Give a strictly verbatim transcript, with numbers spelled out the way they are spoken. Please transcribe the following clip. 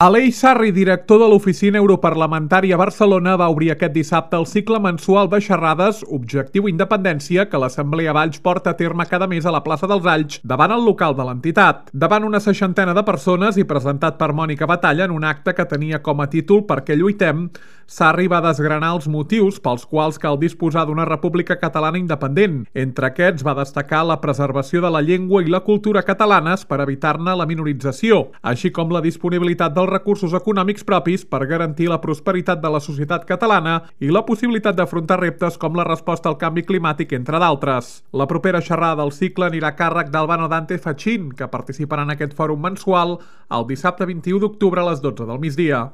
Aleix Sarri, director de l'Oficina Europarlamentària a Barcelona, va obrir aquest dissabte el cicle mensual de xerrades Objectiu Independència que l'Assemblea Valls porta a terme cada mes a la plaça dels Alls davant el local de l'entitat. Davant una seixantena de persones i presentat per Mònica Batalla en un acte que tenia com a títol Per què lluitem, Sarri va desgranar els motius pels quals cal disposar d'una república catalana independent. Entre aquests va destacar la preservació de la llengua i la cultura catalanes per evitar-ne la minorització, així com la disponibilitat dels recursos econòmics propis per garantir la prosperitat de la societat catalana i la possibilitat d'afrontar reptes com la resposta al canvi climàtic, entre d'altres. La propera xerrada del cicle anirà a càrrec d'Albano Dante Fachin, que participarà en aquest fòrum mensual el dissabte vint-i-u d'octubre a les dotze del migdia.